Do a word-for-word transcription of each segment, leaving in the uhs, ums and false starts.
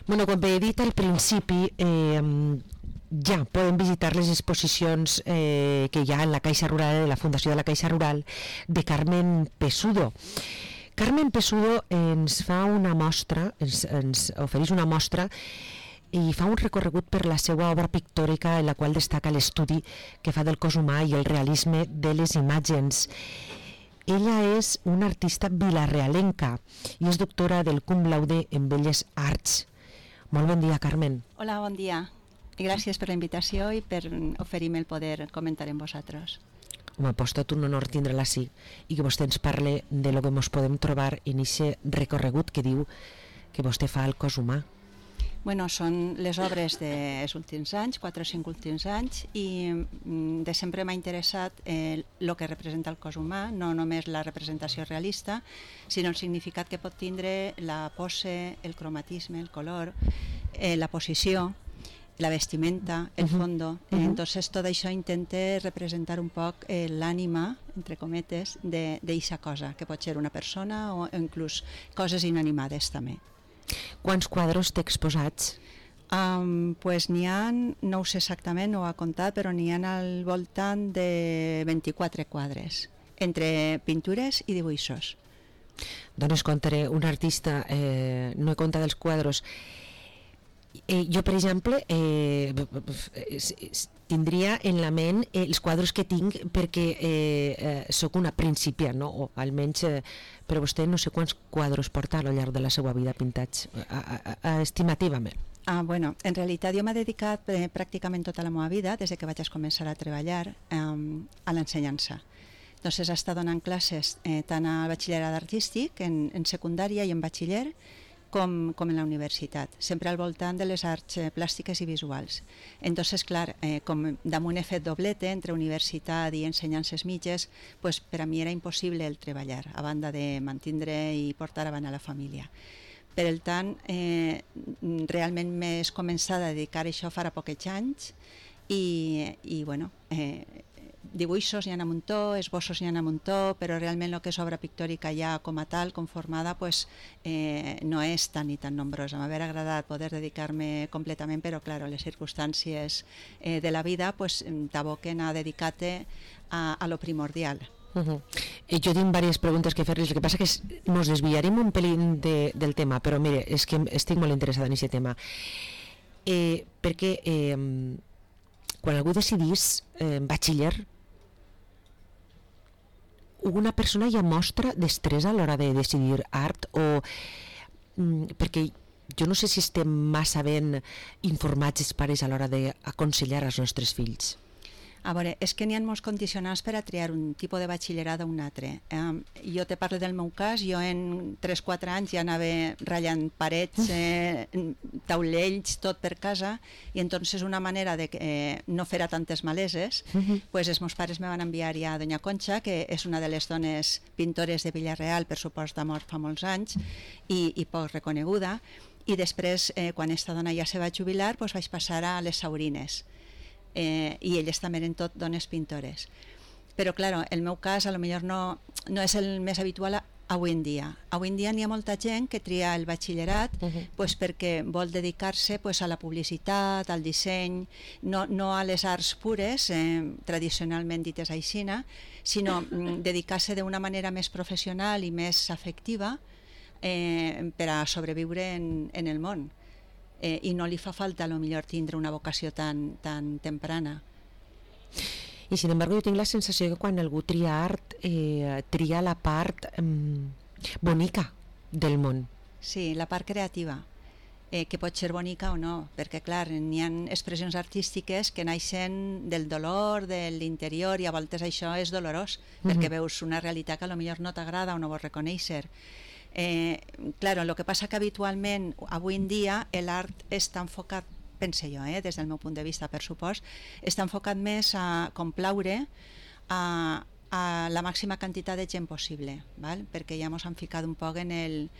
Bueno, com he dit al principi, eh, ja podem visitar les exposicions eh, que hi ha en la Caixa Rural, en la Fundació de la Caixa Rural, de Carmen Pesudo. Carmen Pesudo ens fa una mostra, ens, ens ofereix una mostra i fa un recorregut per la seva obra pictòrica, en la qual destaca l'estudi que fa del cos humà i el realisme de les imatges. Ella és una artista vilarealenca i és doctora del cum laude en Belles Arts. Molt bon dia, Carmen. Hola, bon dia. I gràcies per la invitació i per oferir-me el poder comentar amb vosaltres. Home, pues tot un honor tindre-la així i que vostè ens parle de lo que ens podem trobar en aquest recorregut que diu que vostè fa al cos humà. Bueno, són les obres dels últims anys, quatre o cinc últims anys, i de sempre m'ha interessat el eh, que representa el cos humà, no només la representació realista, sinó el significat que pot tindre la pose, el cromatisme, el color, eh, la posició, la vestimenta, el fondo. Uh-huh. Entonces tot això intenta representar un poc eh, l'ànima, entre cometes, d'eixa cosa, que pot ser una persona o inclús coses inanimades també. Quants quadros té exposats? Um, pues n'hi ha, no ho sé exactament, no ho ha comptat, però n'hi ha al voltant de vint-i-quatre quadres, entre pintures i dibuixos. Doncs contaré, un artista, eh, no he comptat els quadros. Eh, jo, per exemple, eh, tindria en la ment eh, els quadros que tinc perquè eh, eh, sóc una principiant, no? O almenys, eh, però vostè no sé quants quadros porta al llarg de la seva vida pintats, a, a, a, estimativament. Ah, bueno, en realitat jo m'he dedicat eh, pràcticament tota la meva vida, des que vaig començar a treballar, eh, a l'ensenyança. Entonces, he estat donant classes eh, tant al batxillerat artístic, en, en secundària i en batxiller, Com, com en la universitat, sempre al voltant de les arts eh, plàstiques i visuals. Entonces, clar, eh, com damunt he fet doblete entre universitat i ensenyances mitges, pues, per a mi era impossible el treballar, a banda de mantindre i portar avant a la família. Per el tant, eh, realment m'he començat a dedicar a això farà pocs anys i, i bueno, eh, dibuixos n'hi ha un muntó, esbossos n'hi ha un muntó, però realment el que és obra pictòrica ja com a tal, conformada, pues, eh, no és tan ni tan nombrosa. M'hauria agradat poder dedicar-me completament, però clar, les circumstàncies eh, de la vida pues, t'aboquen a dedicar-te a, a lo primordial. Uh-huh. Eh, jo tinc diverses preguntes que fer-les, el que passa que és, ens desviarem un pelín de, del tema, però mire, és que estic molt interessada en aquest tema. Eh, perquè eh, quan algú decidís eh, batxiller, una persona ja mostra destresa a l'hora de decidir art o mm, perquè jo no sé si estem massa ben informats els pares a l'hora d'aconsellar als nostres fills. A veure, és que n'hi ha molts condicionants per a triar un tipus de batxillerat o un altre. Um, jo te parlo del meu cas, jo en tres o quatre anys ja anava ratllant parets, eh, taulells, tot per casa, i entonces una manera de que eh, no fer tantes maleses, uh-huh. pues els meus pares me van enviar ja a Doña Concha, que és una de les dones pintores de Villarreal, per supost de mort fa molts anys, i, i poc reconeguda, i després, eh, quan esta dona ja se va jubilar, pues vaig passar a les Saurines. Eh, i elles també eren tot dones pintores, però clar, el meu cas a lo millor no, no és el més habitual avui en dia. Avui en dia n'hi ha molta gent que tria el batxillerat uh-huh. pues, perquè vol dedicar-se pues, a la publicitat, al disseny, no, no a les arts pures, eh, tradicionalment dites aixina, sinó mm, dedicar-se d'una manera més professional i més afectiva eh, per a sobreviure en, en el món. Eh, i no li fa falta a lo millor tindre una vocació tan, tan temprana. I sin embargo jo tinc la sensació que quan algú tria art eh, tria la part eh, bonica del món. Sí, la part creativa, eh, que pot ser bonica o no, perquè clar, n'hi ha expressions artístiques que naixen del dolor, de l'interior, i a voltes això és dolorós, mm-hmm. perquè veus una realitat que a lo millor no t'agrada o no vols reconèixer. Eh, claro, lo que passa que habitualment avui en dia l'art està enfocat, pense jo, eh, des del meu punt de vista, per supost, està enfocat més a complaure a, a la màxima quantitat de gent possible, val? Perquè ja ens hem ficat un poc en el,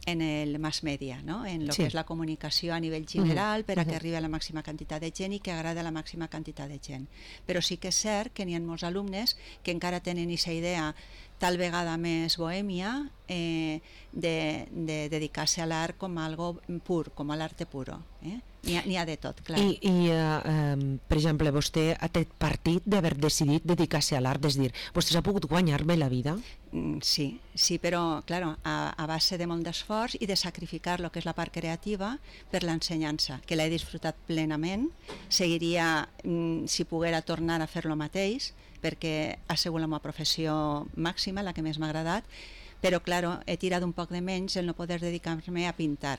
en el mass media, no? En el sí. que és la comunicació a nivell general, uh-huh. per a que arribi a la màxima quantitat de gent i que agrada a la màxima quantitat de gent. Però sí que és cert que n'hi ha molts alumnes que encara tenen aquesta idea tal vegada més bohèmia, eh, de, de dedicar-se a l'art com a algo pur, com a l'arte puro. Eh? N'hi ha, n'hi ha de tot, clar. I, i uh, um, per exemple, vostè ha tret partit d'haver decidit dedicar-se a l'art, és dir, vostè s'ha pogut guanyar bé la vida? Mm, sí, sí, però, claro, a, a base de molt d'esforç i de sacrificar el que és la part creativa per l'ensenyança, que l'he disfrutat plenament. Seguiria, mm, si poguera tornar a fer lo mateix, perquè ha sigut la meva professió màxima, la que més m'ha agradat, però, claro, he tirat un poc de menys el no poder dedicar-me a pintar.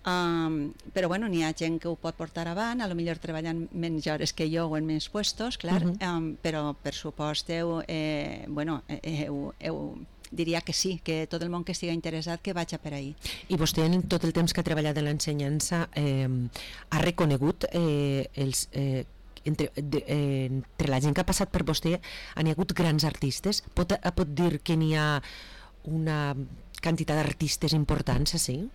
Um, però bueno, n'hi ha gent que ho pot portar avant, a lo millor treballant menys hores que jo o en menys puestos, clar, uh -huh. um, però per supost heu, eh, bueno, heu, heu, diria que sí, que tot el món que estigui interessat que vaig a per ahí. I vostè en tot el temps que ha treballat en l'ensenyança eh, ha reconegut eh, els... Eh, Entre, de, eh, entre la gent que ha passat per vostè han hi hagut grans artistes? Pot, pot dir que n'hi ha una quantitat d'artistes importants, sí?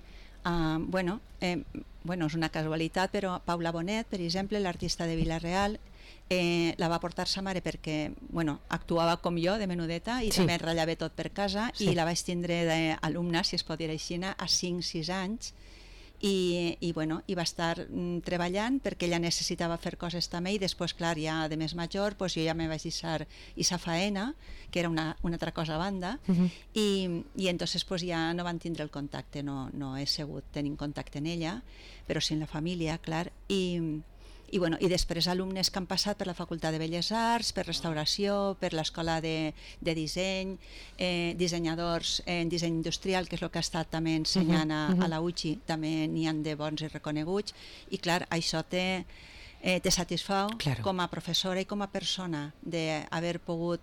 Uh, bueno, eh, bueno, és una casualitat, però Paula Bonet, per exemple, l'artista de Vila-real, eh, la va portar sa mare perquè, bueno, actuava com jo, de menudeta, i sí. també ratllava tot per casa, sí. i la vaig tindre d'alumna, si es pot dir així, a cinc sis anys, i, i, bueno, i va estar mm, treballant perquè ella necessitava fer coses també, i després, clar, ja de més major, pues, jo ja me vaig deixar esa faena, que era una, una altra cosa a banda, uh -huh. i, i entonces pues, ja no van tindre el contacte, no, no he segut tenint contacte en ella, però sí en la família, clar, i I, bueno, i després alumnes que han passat per la Facultat de Belles Arts, per restauració, per l'escola de, de disseny, eh, dissenyadors en disseny industrial, que és el que ha estat també ensenyant a, a la U C I, també n'hi han de bons i reconeguts, i clar, això te, eh, te satisfau claro. Com a professora i com a persona d'haver pogut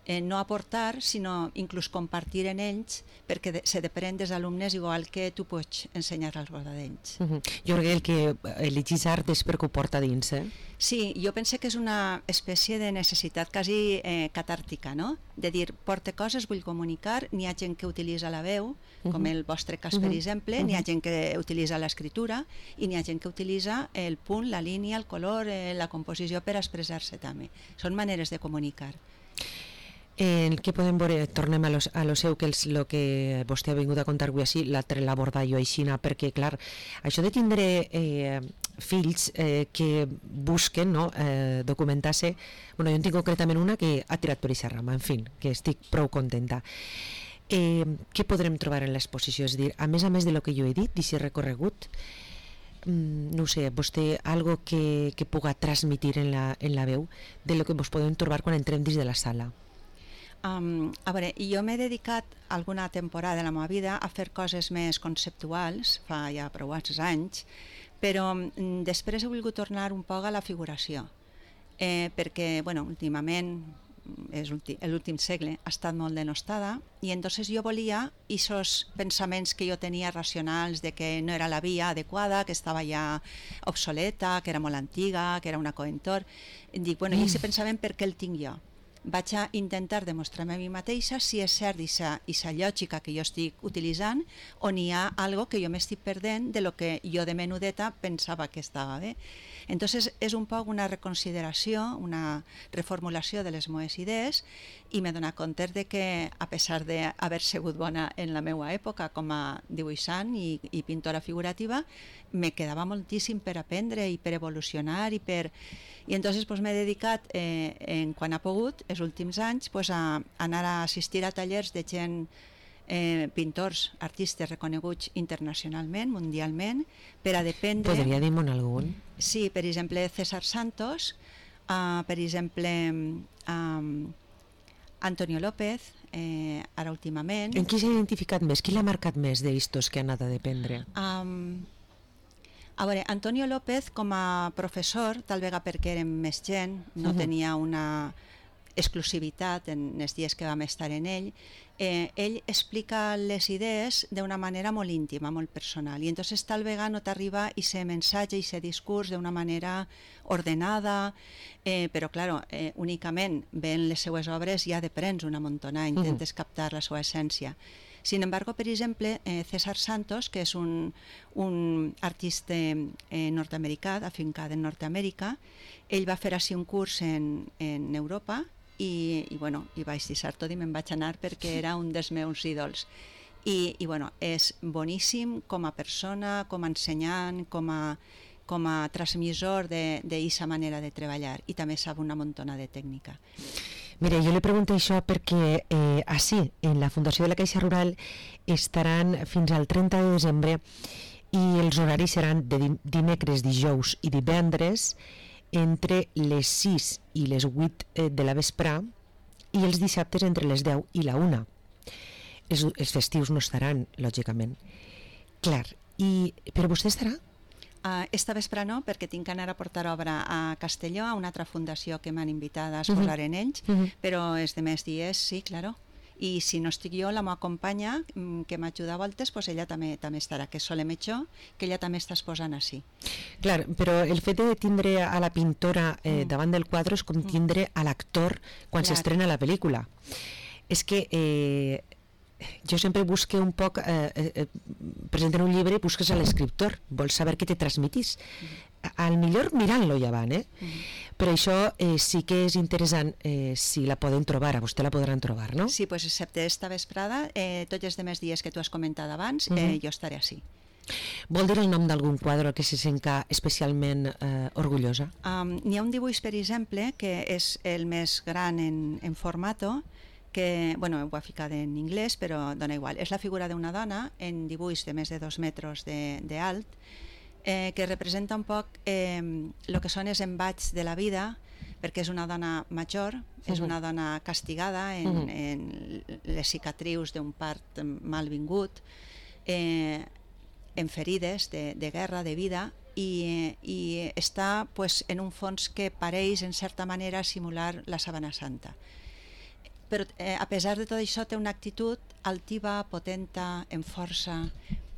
eh, no aportar, sinó inclús compartir en ells, perquè de, se depèn dels alumnes igual que tu pots ensenyar als d'ells. Uh -huh. Jo crec que el que elegis art és perquè ho porta dins, eh? Sí, jo penso que és una espècie de necessitat quasi eh, catàrtica, no? De dir, porte coses, vull comunicar, n'hi ha gent que utilitza la veu, com uh -huh. el vostre cas, uh -huh. per exemple, uh -huh. n'hi ha gent que utilitza l'escriptura i n'hi ha gent que utilitza el punt, la línia, el color, eh, la composició per expressar-se també. Són maneres de comunicar. Eh, què podem veure? Tornem a, los, a lo seu, que és el que vostè ha vingut a contar avui així, l'altre l'abordar jo aixina, perquè, clar, això de tindre eh, fills eh, que busquen no, eh, documentar-se, bueno, jo en tinc concretament una que ha tirat per aquesta rama, en fi, que estic prou contenta. Eh, què podrem trobar en l'exposició? És a dir, a més a més de lo que jo he dit, d'aquest recorregut, mm, no sé, vostè, algo que, que puga transmitir en la, en la veu de lo que vos podem trobar quan entrem dins de la sala? Um, a veure, jo m'he dedicat alguna temporada de la meva vida a fer coses més conceptuals, fa ja prou anys, però um, després he volgut tornar un poc a la figuració, eh, perquè, bueno, últimament, és l'últim segle, ha estat molt denostada, i entonces jo volia aquests pensaments que jo tenia racionals de que no era la via adequada, que estava ja obsoleta, que era molt antiga, que era una coentor, dic, bueno, i aquest pensament per què el tinc jo? Vaig a intentar demostrar-me a mi mateixa si és cert aquesta lògica que jo estic utilitzant o n'hi ha algo que jo m'estic perdent de lo que jo de menudeta pensava que estava bé. Entonces és un poc una reconsideració, una reformulació de les meves idees, i m'he donat compte de que, a pesar d'haver sigut bona en la meva època com a dibuixant i, i pintora figurativa, me quedava moltíssim per aprendre i per evolucionar i per... I entonces pues, m'he dedicat, eh, en quan ha pogut, els últims anys, pues, a anar a assistir a tallers de gent, eh, pintors, artistes reconeguts internacionalment, mundialment, per a dependre... Podria dir-me'n algun? Sí, per exemple, César Santos, uh, per exemple, um, Antonio López, eh, ara últimament... En qui s'ha identificat més? Qui l'ha marcat més d'estos que ha anat a dependre? Um, A veure, Antonio López, com a professor, tal vegada perquè érem més gent, no uh -huh. tenia una exclusivitat en els dies que vam estar en ell, eh, ell explica les idees d'una manera molt íntima, molt personal, i entonces tal vegada no t'arriba aquest missatge, aquest discurs d'una manera ordenada, eh, però, claro, eh, únicament veient les seues obres ja deprens una montona, intentes uh -huh. captar la seva essència. Sin embargo, per exemple, eh, César Santos, que és un, un artista eh, nord-americà, afincat en Nord-Amèrica, ell va fer així un curs en, en Europa i, i, bueno, i vaig deixar tot i me'n vaig anar perquè era un dels meus ídols. I, i bueno, és boníssim com a persona, com a ensenyant, com a, com a transmissor d'aquesta manera de treballar, i també sap una muntona de tècnica. Mira, jo li pregunto això perquè eh, així, en la Fundació de la Caixa Rural estaran fins al trenta de desembre i els horaris seran de dimecres, dijous i divendres entre les sis i les vuit de la vesprà i els dissabtes entre les deu i la una. Els, els festius no estaran, lògicament. Clar, i, però vostè estarà? Uh, esta vespre no, perquè tinc que anar a portar obra a Castelló, a una altra fundació que m'han invitat a exposar uh -huh. en ells, uh -huh. però els demés dies sí, claro. I si no estic jo, la meva companya, que m'ajuda a voltes, pues ella també també estarà, que és Sole Mechó, que ella també està exposant així. Clar, però el fet de tindre a la pintora eh, mm. davant del quadre és com tindre a l'actor quan s'estrena la pel·lícula. És que eh, jo sempre busque un poc, eh, eh, presenten un llibre i busques a l'escriptor, vols saber què te transmitís. Mm. Al millor mirant-lo ja van, eh? Mm. Però això eh, sí que és interessant eh, si la poden trobar, a vostè la podran trobar, no? Sí, pues excepte esta vesprada, eh, tots els demés dies que tu has comentat abans, eh, mm-hmm. jo estaré així. Vol dir el nom d'algun quadre al que se senta especialment eh, orgullosa? Um, N'hi ha un dibuix, per exemple, que és el més gran en, en formato, que, bueno, ho ha ficat en anglès, però dona igual. És la figura d'una dona en dibuix de més de dos metres d'alt, eh, que representa un poc el eh, que són els embats de la vida, perquè és una dona major, uh-huh. és una dona castigada en, uh-huh. en les cicatrius d'un part malvingut, eh, en ferides de, de guerra, de vida, i, i està pues, en un fons que pareix en certa manera simular la Sabana Santa. Però eh, a pesar de tot això té una actitud altiva, potenta, en força,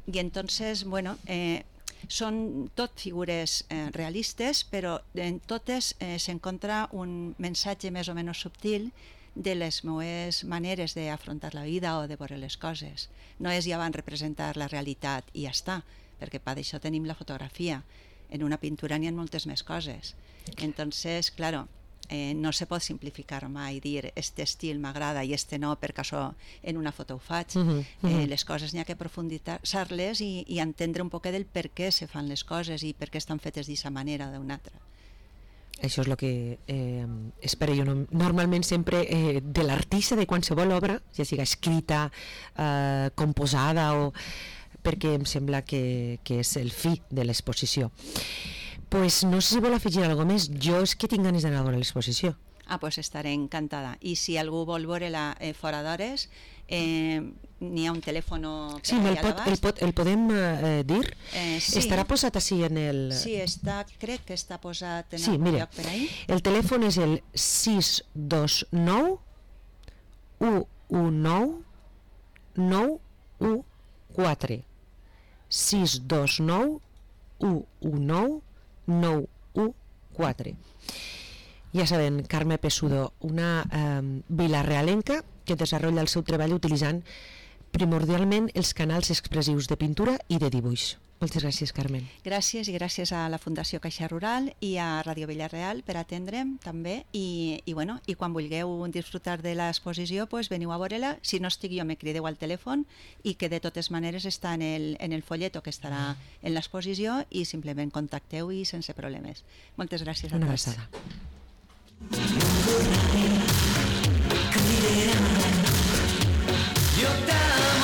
i entonces, bueno, eh, són tot figures eh, realistes, però en totes eh, s'encontra un missatge més o menys subtil de les meves maneres d'afrontar la vida o de veure les coses. No és ja van representar la realitat i ja està, perquè per això tenim la fotografia. En una pintura n'hi ha moltes més coses. Entonces, claro, eh, no se pot simplificar mai, dir este estil m'agrada i este no, perquè això en una foto ho faig. Uh -huh, uh -huh. Eh, les coses n'hi ha que profunditzar-les i, i entendre un poc del per què se fan les coses i per què estan fetes d'aquesta manera o d'una altra. Això és el que eh, espero jo no, normalment sempre eh, de l'artista de qualsevol obra, ja siga escrita, eh, composada, o perquè em sembla que, que és el fi de l'exposició. Pues no sé si vol afegir alguna cosa més. Jo és que tinc ganes d'anar a veure l'exposició. Ah, pues estaré encantada. I si algú vol veure-la eh, fora d'hores, eh, n'hi ha un telèfon... Sí, el, pot, el, pot, el podem eh, dir? Eh, sí. Estarà posat així en el... Sí, està, crec que està posat en sí, algun mira, lloc per ahí. El telèfon és el sis dos nou u u nou nou u quatre. sis dos nou u u nou nou u quatre. Ja saben, Carme Pesudo, una eh, vilarealenca que desenvolupa el seu treball utilitzant primordialment els canals expressius de pintura i de dibuix. Moltes gràcies, Carmen. Gràcies, i gràcies a la Fundació Caixa Rural i a Ràdio Vilareal per atendre'm també, i, i, bueno, i quan vulgueu disfrutar de l'exposició, pues veniu a veure-la. Si no estic jo, me crideu al telèfon, i que de totes maneres està en el, en el folleto que estarà en l'exposició, i simplement contacteu i sense problemes. Moltes gràcies a tots. Una abraçada.